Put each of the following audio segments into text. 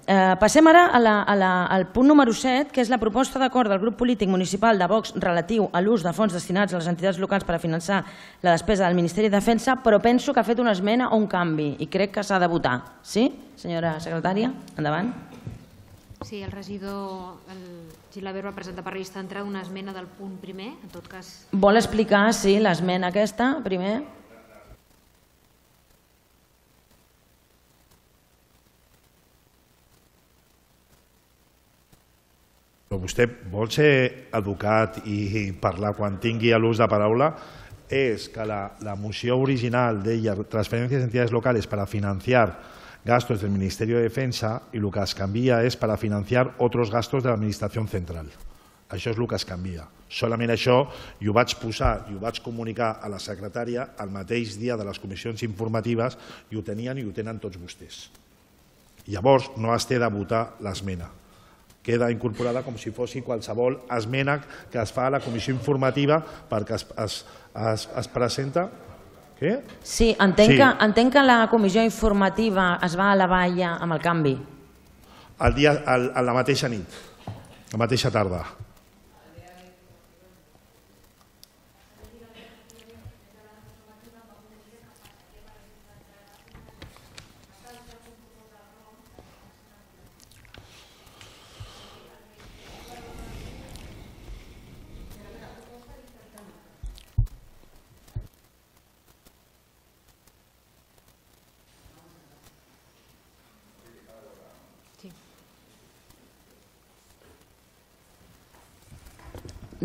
Passem ara al punt número 7, que és la proposta d'acord del grup polític municipal de Vox relatiu a l'ús de fons destinats a les entitats locals per a finançar la despesa del Ministeri de Defensa, però penso que ha fet una esmena o un canvi i crec que s'ha de votar. Sí, senyora secretària? Endavant. Sí, el regidor Gilabert va presentar per llista d'entrada una esmena del punt primer, en tot cas... Vol explicar, sí, l'esmena aquesta, primer? Vostè vol ser educat i parlar quan tingui l'ús de paraula, és que la moció original deia transferències a entitats locales para financiar gastos del Ministerio de Defensa y lo que es canvia és para financiar otros gastos de l'administració central. Això és el que es canvia. Solament això, i ho vaig posar i ho vaig comunicar a la secretària el mateix dia de les comissions informatives i ho tenien i ho tenen tots vostès. Llavors no es té de votar l'esmena. Queda incorporada com si fos qualsevol esmena que es fa a la comissió informativa perquè es presenta... Què? Sí, entenc que la comissió informativa es va elevar ja amb el canvi. A la mateixa nit, la mateixa tarda.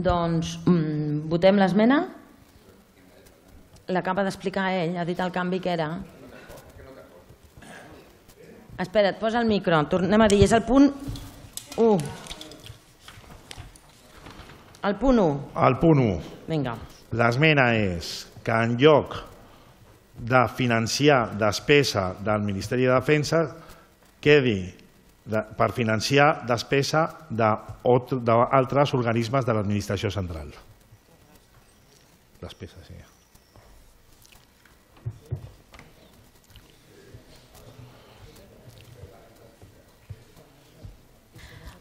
Doncs votem l'esmena? L'acaba d'explicar ell, ha dit el canvi que era. Espera't, posa el micro, tornem a dir, és el punt 1. El punt 1. El punt 1. Vinga. L'esmena és que en lloc de financiar despesa del Ministeri de Defensa quedi per financiar despesa d'altres organismes de l'administració central. Despesa, sí.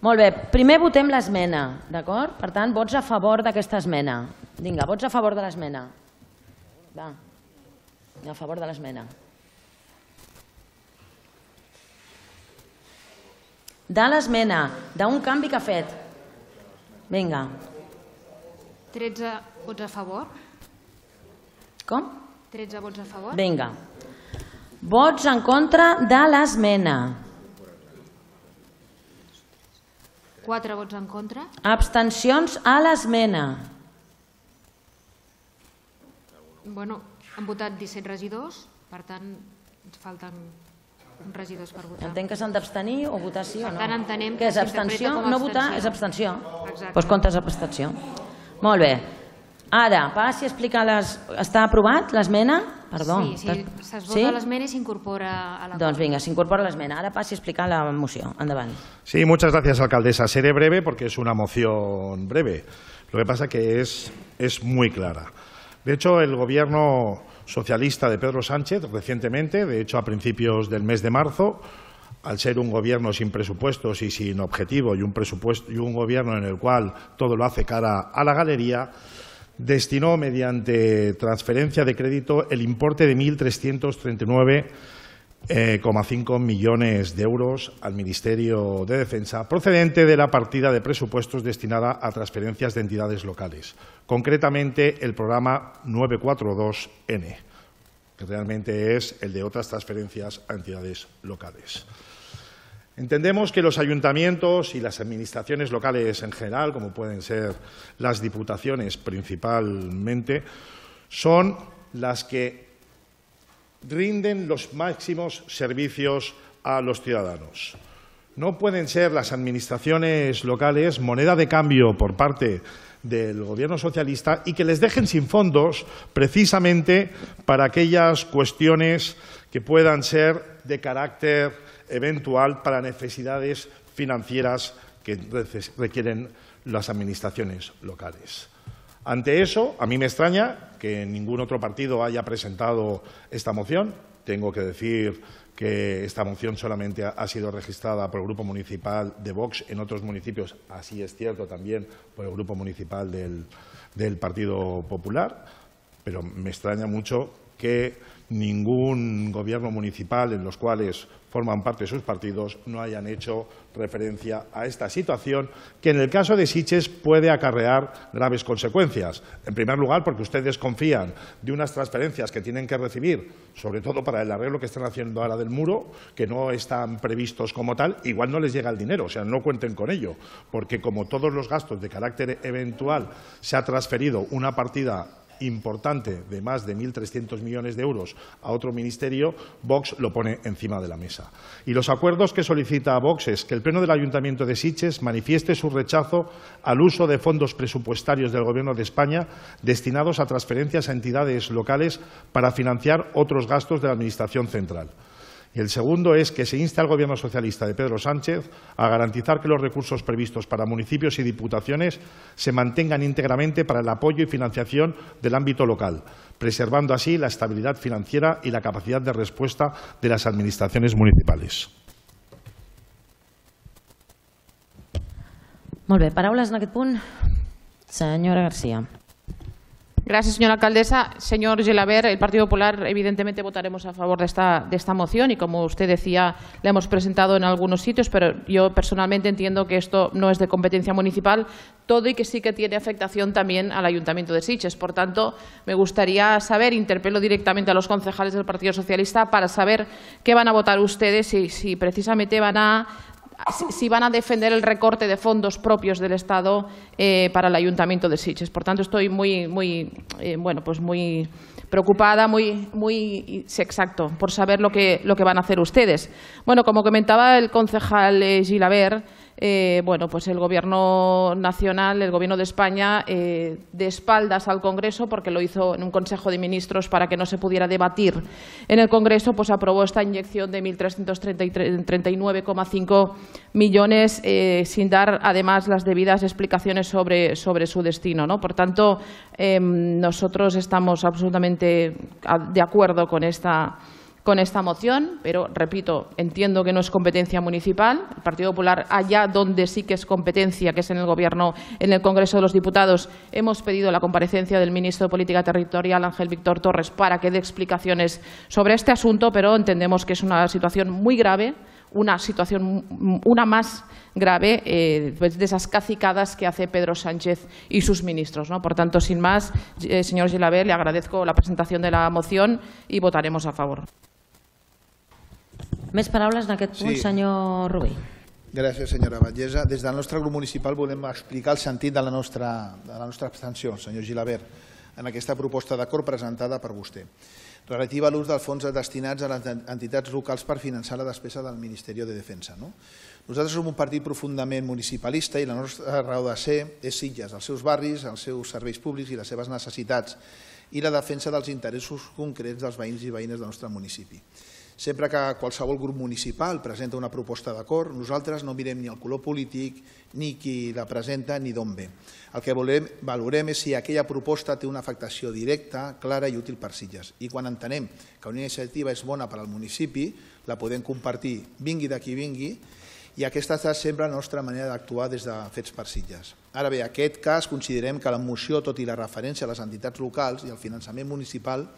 Molt bé, primer votem l'esmena, d'acord? Per tant, vots a favor d'aquesta esmena. Vinga, vots a favor de l'esmena. Va, a favor de l'esmena. De l'esmena, d'un canvi que ha fet. Vinga. 13 vots a favor. Com? 13 vots a favor. Vinga. Vots en contra de l'esmena. 4 vots en contra. Abstencions a l'esmena. Bueno, han votat 17 regidors, per tant, ens falten regidors per votar. Entenc que s'han d'abstenir o votar sí o no. Per tant, entenem que que és abstenció? No votar és abstenció. Doncs comptes abstenció. Molt bé. Ara, passi a explicar les... Està aprovat l'esmena? Perdó. Sí, es vota l'esmena i s'incorpora a l'acord. Doncs vinga, s'incorpora l'esmena. Ara passi a explicar la moció. Endavant. Sí, muchas gracias, alcaldesa. Seré breve porque es una moción breve. Lo que pasa que es muy clara. De hecho, el gobierno socialista de Pedro Sánchez recientemente, de hecho a principios del mes de marzo, al ser un gobierno sin presupuestos y sin objetivo y un gobierno en el cual todo lo hace cara a la galería, destinó mediante transferencia de crédito el importe de 1.339,5 millones de euros al Ministerio de Defensa, procedente de la partida de presupuestos destinada a transferencias de entidades locales, concretamente el programa 942N, que realmente es el de otras transferencias a entidades locales. Entendemos que los ayuntamientos y las administraciones locales en general, como pueden ser las diputaciones principalmente, son las que rinden los máximos servicios a los ciudadanos. No pueden ser las administraciones locales moneda de cambio por parte del gobierno socialista y que les dejen sin fondos precisamente para aquellas cuestiones que puedan ser de carácter eventual para necesidades financieras que requieren las administraciones locales. Ante eso, a mí me extraña que ningún otro partido haya presentado esta moción. Tengo que decir que esta moción solamente ha sido registrada por el Grupo Municipal de Vox en otros municipios, así es cierto también por el Grupo Municipal del Partido Popular, pero me extraña mucho que ningún gobierno municipal en los cuales forman parte de sus partidos no hayan hecho referencia a esta situación que en el caso de Sitges puede acarrear graves consecuencias. En primer lugar, porque ustedes confían de unas transferencias que tienen que recibir, sobre todo para el arreglo que están haciendo ahora del muro, que no están previstos como tal, igual no les llega el dinero, o sea, no cuenten con ello, porque como todos los gastos de carácter eventual se ha transferido una partida importante de más de 1.300 millones de euros a otro ministerio, Vox lo pone encima de la mesa. Y los acuerdos que solicita Vox es que el Pleno del Ayuntamiento de Sitges manifieste su rechazo al uso de fondos presupuestarios del Gobierno de España destinados a transferencias a entidades locales para financiar otros gastos de la Administración central. Y el segundo es que se inste al Gobierno socialista de Pedro Sánchez a garantizar que los recursos previstos para municipios y diputaciones se mantengan íntegramente para el apoyo y financiación del ámbito local, preservando así la estabilidad financiera y la capacidad de respuesta de las administraciones municipales. Molt bé, paraules en aquest punt. Senyora García. Gracias, señora alcaldesa. Señor Gelabert, el Partido Popular evidentemente votaremos a favor de esta moción y, como usted decía, la hemos presentado en algunos sitios, pero yo personalmente entiendo que esto no es de competencia municipal todo y que sí que tiene afectación también al Ayuntamiento de Sitges. Por tanto, me gustaría saber, interpelo directamente a los concejales del Partido Socialista para saber qué van a votar ustedes, si precisamente van a defender el recorte de fondos propios del Estado para el Ayuntamiento de Sitges. Por tanto, estoy muy preocupada, exacto, por saber lo que van a hacer ustedes. Bueno, como comentaba el concejal Gilabert, pues el Gobierno nacional, el Gobierno de España, de espaldas al Congreso, porque lo hizo en un Consejo de Ministros para que no se pudiera debatir en el Congreso, pues aprobó esta inyección de 1.339,5 millones sin dar además las debidas explicaciones sobre su destino, ¿no? Por tanto, nosotros estamos absolutamente de acuerdo con esta moción, pero, repito, entiendo que no es competencia municipal. El Partido Popular, allá donde sí que es competencia, que es en el Gobierno, en el Congreso de los Diputados, hemos pedido la comparecencia del ministro de Política Territorial, Ángel Víctor Torres, para que dé explicaciones sobre este asunto, pero entendemos que es una situación muy grave, una más grave de esas cacicadas que hace Pedro Sánchez y sus ministros, ¿no? Por tanto, sin más, señor Gelabert, le agradezco la presentación de la moción y votaremos a favor. Més paraules en aquest punt, senyor Rubí. Gràcies, senyora Batllessa. Des del nostre grup municipal volem explicar el sentit de la nostra abstenció, senyor Gilabert, en aquesta proposta d'acord presentada per vostè, relativa a l'ús dels fons destinats a les entitats locals per finançar la despesa del Ministeri de Defensa. Nosaltres som un partit profundament municipalista i la nostra raó de ser és Sitges, els seus barris, els seus serveis públics i les seves necessitats i la defensa dels interessos concrets dels veïns i veïnes del nostre municipi. Sempre que qualsevol grup municipal presenta una proposta d'acord, nosaltres no mirem ni el color polític, ni qui la presenta, ni d'on ve. El que valorem és si aquella proposta té una afectació directa, clara i útil per Sitges. I quan entenem que una iniciativa és bona per al municipi, la podem compartir, vingui de qui vingui, i aquesta ha estat sempre la nostra manera d'actuar des de Fets per Sitges. Ara bé, en aquest cas considerem que la moció, tot i la referència a les entitats locals i al finançament municipal,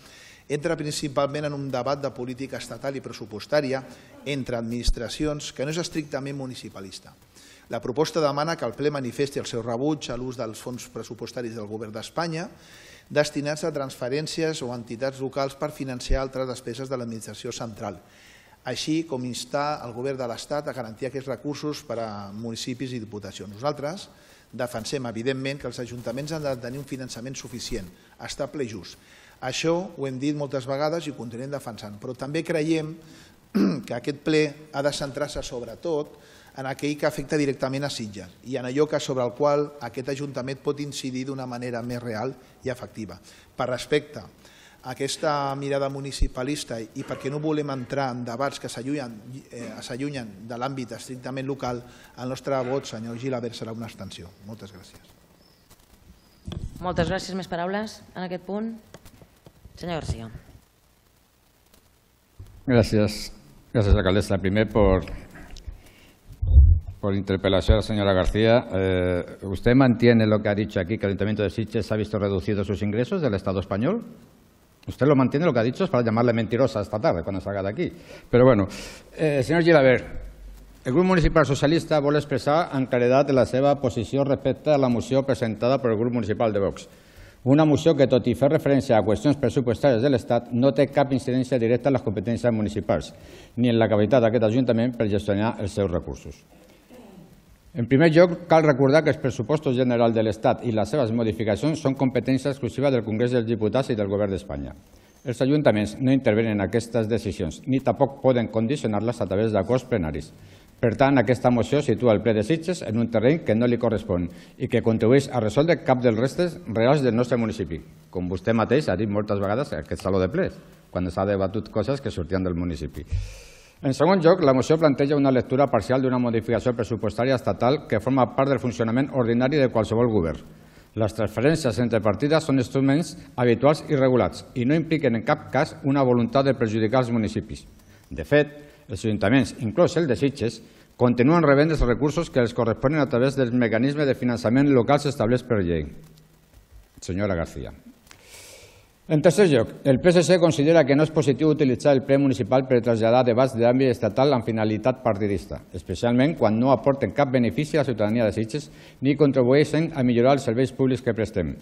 entra principalment en un debat de política estatal i pressupostària entre administracions que no és estrictament municipalista. La proposta demana que el ple manifesti el seu rebuig a l'ús dels fons pressupostaris del Govern d'Espanya destinats a transferències o entitats locals per financiar altres despeses de l'administració central, així com instar el Govern de l'Estat a garantir aquests recursos per a municipis i diputacions. Nosaltres defensem, evidentment, que els ajuntaments han de tenir un finançament suficient, estable i just. Això ho hem dit moltes vegades i ho continuem defensant, però també creiem que aquest ple ha de centrar-se sobretot en aquell que afecta directament a Sitges i en allò sobre el qual aquest Ajuntament pot incidir d'una manera més real i efectiva. Per respecte a aquesta mirada municipalista i perquè no volem entrar en debats que s'allunyen de l'àmbit estrictament local, el nostre vot, senyor Gilabert, serà una abstenció. Moltes gràcies. Moltes gràcies. Més paraules en aquest punt? Senyor García. Gràcies. Gracias, alcaldesa. Primero, por interpelación a la señora García. ¿Usted mantiene lo que ha dicho aquí, que el Ayuntamiento de Sitges ha visto reducidos sus ingresos del Estado español? ¿Usted lo mantiene, lo que ha dicho? Es para llamarle mentirosa esta tarde, cuando salga de aquí. Però, bueno, senyor Gilabert, el grup municipal socialista vol expressar amb claredat la seva posició respecte a la moció presentada per el grup municipal de Vox. Una moció que, tot i fer referència a qüestions pressupostàries de l'Estat, no té cap incidència directa en les competències municipals ni en la capacitat d'aquest Ajuntament per gestionar els seus recursos. En primer lloc, cal recordar que els pressupostos generals de l'Estat i les seves modificacions són competència exclusiva del Congrés dels Diputats i del Govern d'Espanya. Els ajuntaments no intervenen en aquestes decisions ni tampoc poden condicionar-les a través d'acords plenaris. Per tant, aquesta moció situa el ple de Sitges en un terreny que no li correspon i que contribueix a resoldre cap dels restes reals del nostre municipi, com vostè mateix ha dit moltes vegades en aquest saló de plens, quan s'ha debatut coses que sortien del municipi. En segon lloc, la moció planteja una lectura parcial d'una modificació pressupostària estatal que forma part del funcionament ordinari de qualsevol govern. Les transferències entre partides són instruments habituals i regulats i no impliquen en cap cas una voluntat de perjudicar els municipis. De fet, els ajuntaments, inclòs el de Sitges, continuen rebent els recursos que els corresponen a través dels mecanismes de finançament locals establerts per llei. Senyora García. En tercer lloc, el PSC considera que no és positiu utilitzar el ple municipal per traslladar debats d'àmbit estatal amb finalitat partidista, especialment quan no aporten cap benefici a la ciutadania de Sitges ni contribueixen a millorar els serveis públics que prestem.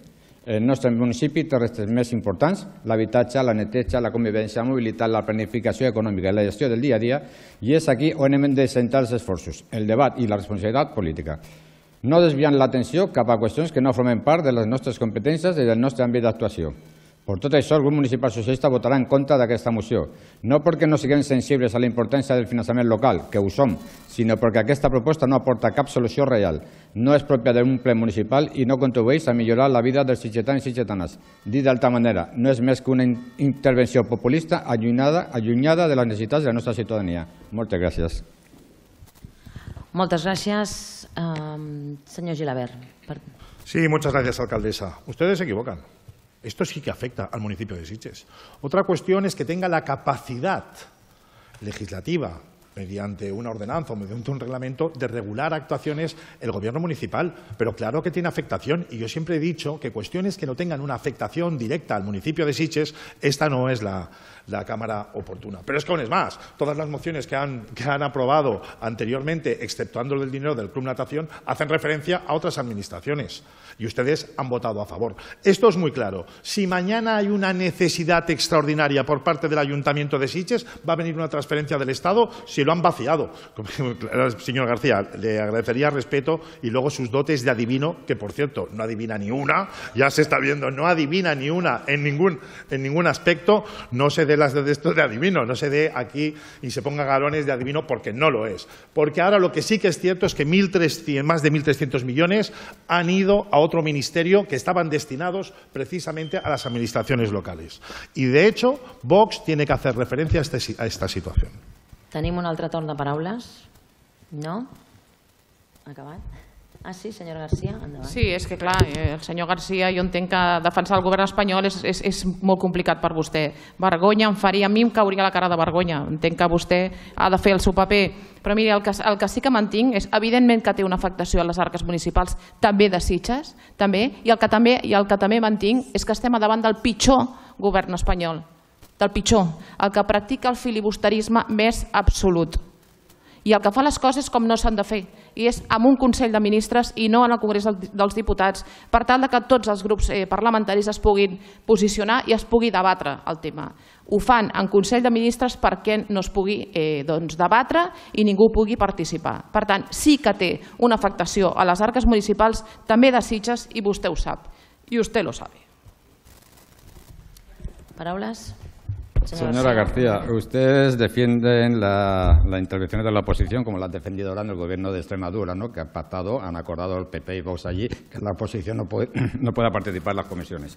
El nostre municipi té reptes més importants, l'habitatge, la neteja, la convivència, la mobilitat, la planificació econòmica i la gestió del dia a dia, i és aquí on hem de centrar els esforços, el debat i la responsabilitat política, no desviant l'atenció cap a qüestions que no formen part de les nostres competències i del nostre àmbit d'actuació. Per tot això, el grup municipal socialista votarà en contra d'aquesta moció, no perquè no siguem sensibles a la importància del finançament local, que ho som, sinó perquè aquesta proposta no aporta cap solució real, no és pròpia d'un ple municipal i no contribueix a millorar la vida dels sitgetans i sitgetanes. Dit d'altra manera, no és més que una intervenció populista allunyada de les necessitats de la nostra ciutadania. Moltes gràcies. Moltes gràcies, senyor Gilabert. Sí, muchas gracias, alcaldesa. Ustedes se equivocan. Esto sí que afecta al municipio de Sitges. Otra cuestión es que tenga la capacidad legislativa, mediante una ordenanza o mediante un reglamento, de regular actuaciones el gobierno municipal. Pero claro que tiene afectación, y yo siempre he dicho que cuestiones que no tengan una afectación directa al municipio de Sitges, esta no es la Cámara oportuna. Pero es que aún es más, todas las mociones que han aprobado anteriormente, exceptuando el del dinero del Club Natación, hacen referencia a otras administraciones. Y ustedes han votado a favor. Esto es muy claro. Si mañana hay una necesidad extraordinaria por parte del Ayuntamiento de Sitges, va a venir una transferencia del Estado si lo han vaciado. Señor García, le agradecería respeto y luego sus dotes de adivino, que por cierto no adivina ni una, ya se está viendo, no adivina ni una en ningún aspecto. No se dé las de esto de adivino, no se dé aquí y se ponga galones de adivino, porque no lo es. Porque ahora lo que sí que es cierto es que más de 1.300 millones han ido a otro ministerio que estaban destinados precisamente a las administraciones locales. Y de hecho, Vox tiene que hacer referencia a esta situación. Tenim un altre torn de paraules? No? Acabat? Ah, sí, senyora García, endavant. Sí, és que clar, el senyor García, jo entenc que defensar el govern espanyol és molt complicat per vostè. Vergonya em faria, a mi em cauria la cara de vergonya. Entenc que vostè ha de fer el seu paper. Però miri, el que sí que mantinc és, evidentment que té una afectació a les arques municipals, també de Sitges, també, i el que també mantinc és que estem davant del pitjor govern espanyol, del pitjor, el que practica el filibusterisme més absolut. I el que fa les coses com no s'han de fer, i és amb un Consell de Ministres i no en el Congrés dels Diputats, per tal que tots els grups parlamentaris es puguin posicionar i es pugui debatre el tema. Ho fan en Consell de Ministres perquè no es pugui debatre i ningú pugui participar. Per tant, sí que té una afectació a les arques municipals, també de Sitges, i vostè ho sap, i vostè lo sabe. Paraules? Señora García, ustedes defienden la intervención de la oposición como la han defendido ahora en el gobierno de Extremadura, ¿no? Que han pactado, han acordado el PP y Vox allí que la oposición no pueda participar en las comisiones.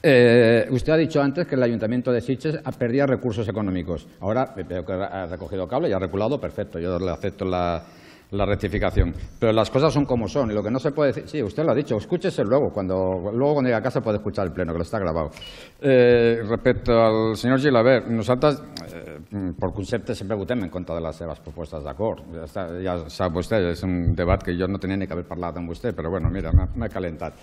Usted ha dicho antes que el Ayuntamiento de Sitges perdía recursos económicos. Ahora veo que ha recogido cable y ha reculado, perfecto, yo le acepto la la rectificación. Pero las cosas son como son y lo que no se puede decir... Sí, usted lo ha dicho, escúchese luego cuando llegue a casa puede escuchar el pleno, que lo está grabado. Respecto al senyor Gilabert, nosaltres, per concepte, sempre votem en contra de les seves propostes d'acord. Ja sap vostè, és un debat que jo no tenia ni que haver parlat amb vostè, però bueno, mira, m'he calentat.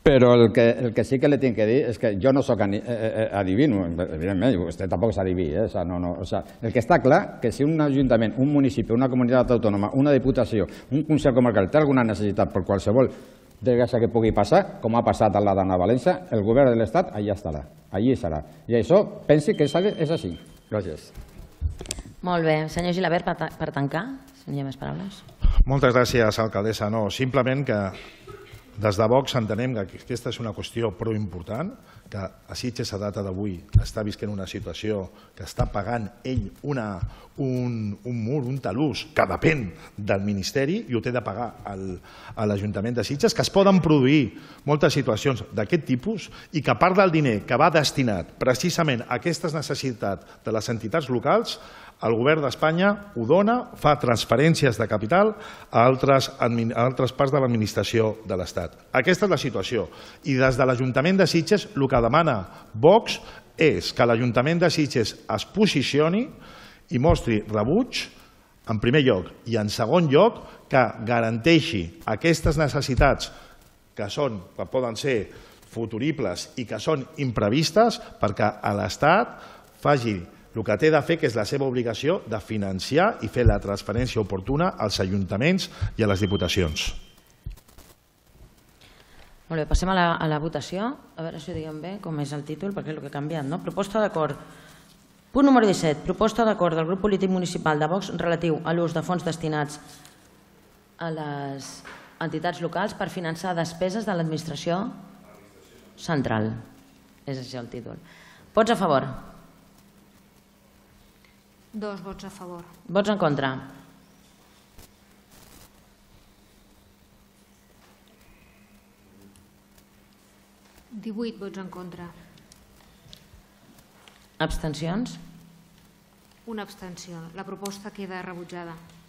Però el que sí que li tinc que dir és que jo no soc adivino, evidentment, vostè tampoc és adiví, el que està clar que si un ajuntament, un municipi, una comunitat autònoma, una diputació, un consell comarcal té alguna necessitat per qualsevol desgràcia que pugui passar, com ha passat a la d'Anna Valença, el govern de l'Estat allà estarà, allí serà. I això pensi que és així. Gràcies. Molt bé. Senyor Gilabert, per tancar, si no hi ha més paraules. Moltes gràcies, alcaldessa. No, simplement que des de Vox entenem que aquesta és una qüestió prou important, que a Sitges a data d'avui està visquent una situació que està pagant ell un mur, un talús, que depèn del Ministeri i ho té de pagar a l'Ajuntament de Sitges, que es poden produir moltes situacions d'aquest tipus i que part del diner que va destinat precisament a aquestes necessitats de les entitats locals, el govern d'Espanya ho dona, fa transferències de capital a altres parts de l'administració de l'Estat. Aquesta és la situació. I des de l'Ajuntament de Sitges el que demana Vox és que l'Ajuntament de Sitges es posicioni i mostri rebuig, en primer lloc, i en segon lloc, que garanteixi aquestes necessitats que poden ser futuribles i que són imprevistes perquè l'Estat faci el que té de fer, que és la seva obligació de financiar i fer la transferència oportuna als ajuntaments i a les diputacions. Molt bé, passem a la votació. A veure si ho diguem bé, com és el títol, perquè és el que ha canviat, no? Proposta d'acord. Punt número 17. Proposta d'acord del grup polític municipal de Vox relatiu a l'ús de fons destinats a les entitats locals per finançar despeses de l'administració central. És així el títol. Vots a favor? 2 vots a favor. Vots en contra? ...18 vots en contra. Abstencions? Una abstenció. La proposta queda rebutjada.